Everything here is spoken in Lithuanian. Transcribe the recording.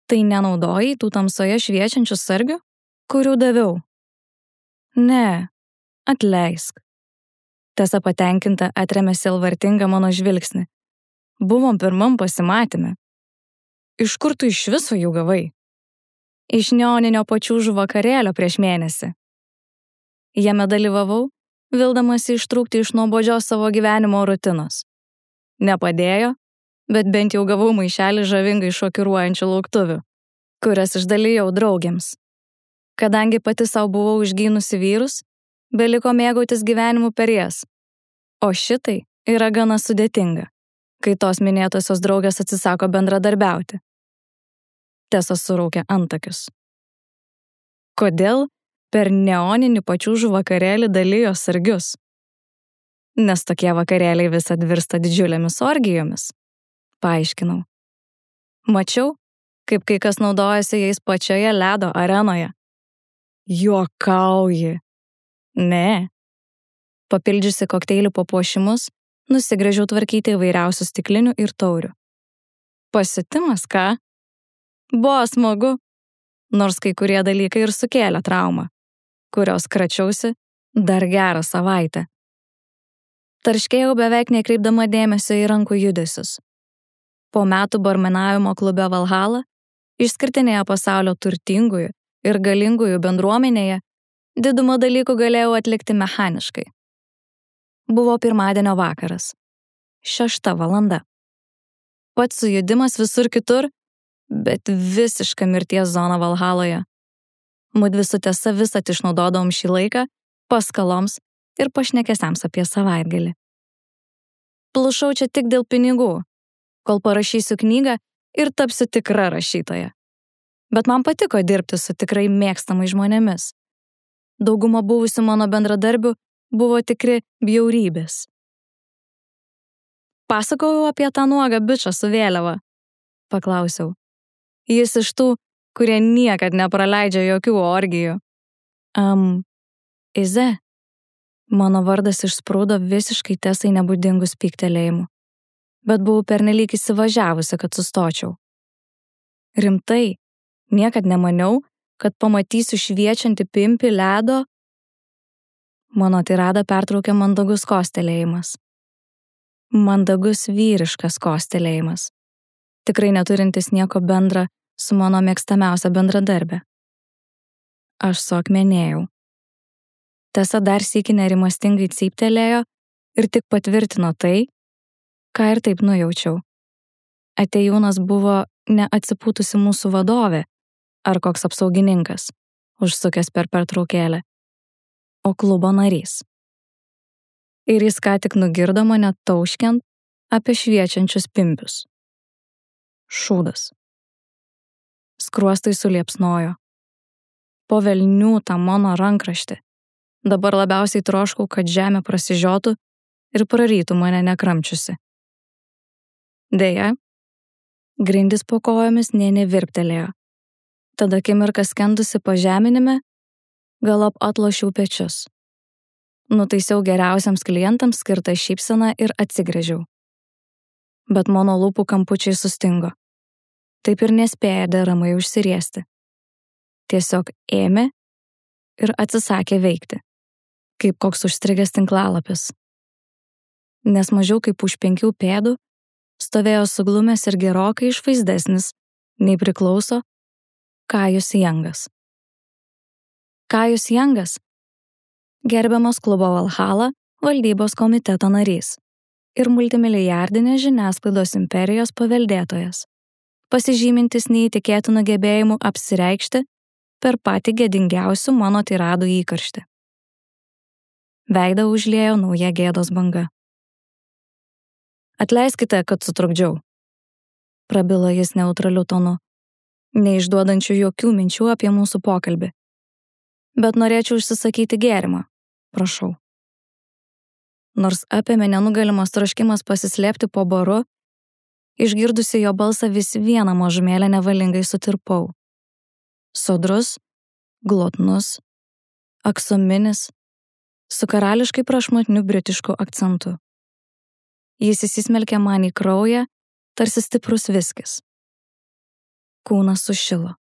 Tai nenaudojai tų tamsoje šviečiančių sargių, kurių daviau? Ne, atleisk. Tesa patenkinta atremė sielvartingą mano žvilgsnį. Buvom pirmam pasimatyme. Iš kur tu iš viso jų gavai? Iš neoninio pačiūžų vakarėlio prieš mėnesį. Jame dalyvavau, vildamasi ištrūkti iš nuobodžios savo gyvenimo rutinos. Nepadėjo, bet bent jau gavau maišelį žavingai šokiruojančių lauktuvių, kurias išdalijau draugėms. Kadangi pati savo buvau išgynusi vyrus, beliko mėgautis gyvenimu per jas. O šitai yra gana sudėtinga, kai tos minėtosios draugės atsisako bendradarbiauti. Tesa suraukė antakius. Kodėl per neoninį pačiūžų vakarėlį dalijo sargius? Nes tokie vakarėliai visad virsta didžiulėmis orgijomis, paaiškinau. Mačiau, kaip kai kas naudojasi jais pačioje ledo arenoje. Juokauji. Ne. Papildžiusi kokteilių papuošimus, nusigręžiau tvarkyti įvairiausių stiklinių ir taurių. Pasiutimas, ką? Buvo smagu, nors kai kurie dalykai ir sukėlė traumą, kurios kračiausi dar gerą savaitę. Tarškėjau beveik nekreipdama dėmesio į rankų judesius. Po metų barmenavimo klube Valhalla, išskirtinėje pasaulio turtingųjų ir galingųjų bendruomenėje, didumą dalykų galėjau atlikti mechaniškai. Buvo pirmadienio vakaras. 6 valanda. Pats sujudimas visur kitur, bet visiška mirties zona Valhaloje. Mudvi su Tesa visat išnaudodavom šį laiką paskaloms ir pašnekesiams apie savaitgalį. Plušau čia tik dėl pinigų, kol parašysiu knygą ir tapsiu tikra rašytoja. Bet man patiko dirbti su tikrai mėgstamais žmonėmis. Dauguma buvusių mano bendradarbių buvo tikri bjaurybės. Pasakojau apie tą nuogą bičą su vėliava, paklausiau. Jis iš tų, kurie niekad nepraleidžia jokių orgijų. Ize. Mano vardas išsprūdo visiškai Tesai nebūdingus pyktelėjimų, bet buvau pernelyg įsivažiavusi, kad sustočiau. Rimtai, niekad nemaniau, kad pamatysiu šviečiantį pimpį ledo. Mano tiradą pertraukė mandagus kostelėjimas. Mandagus vyriškas kostelėjimas, tikrai neturintis nieko bendra su mano mėgstamiausia bendradarbė. Aš suakmenėjau. Tesa dar sykį nerimastingai cyptelėjo ir tik patvirtino tai, ką ir taip nujaučiau. Atėjūnas buvo neatsipūtusi mūsų vadovė ar koks apsaugininkas, užsukęs per pertraukėlę, o klubo narys. Ir jis ką tik nugirdo mane tauškiant apie šviečiančius pimpius. Šūdas. Skruostai suliepsnojo. Po velnių tą mano rankraštį. Dabar labiausiai troškau, kad žemė prasižiotų ir prarytų mane nekramčiusi. Deja, grindys po kojomis nė nevirptelėjo. Tada akimirką skendusi pažeminime, galop atlošiau pečius. Nutaisiau geriausiams klientams skirtą šypseną ir atsigręžiau. Bet mano lūpų kampučiai sustingo. Taip ir nespėja deramai užsiriesti. Tiesiog ėmė ir atsisakė veikti, kaip koks užstrigęs tinklalapis. Nes mažiau kaip už 5 pėdų stovėjo suglumęs ir gerokai išvaizdesnis, nei priklauso, Kajus Jangas. Kajus Jangas, gerbiamas klubo Valhalla valdybos komiteto narys ir multimilijardinės žiniasklaidos imperijos paveldėtojas, pasižymintis neįtikėtinų gebėjimų apsireikšti per patį gėdingiausių mano tiradų įkarštį. Veidą užliejo nauja gėdos banga. Atleiskite, kad sutrukdžiau, prabilo jis neutraliu tonu, neišduodančių jokių minčių apie mūsų pokalbį. Bet norėčiau užsisakyti gėrimą, prašau. Nors apėmė nenugalimas troškimas pasislėpti po baru, išgirdusi jo balsą vis vieną mažumėlę nevalingai sutirpau. Sodrus, glotnus, aksominis, su karališkai prašmatniu britišku akcentu. Jis įsismelkė man į kraują, tarsi stiprus viskis. Kūnas sušilo.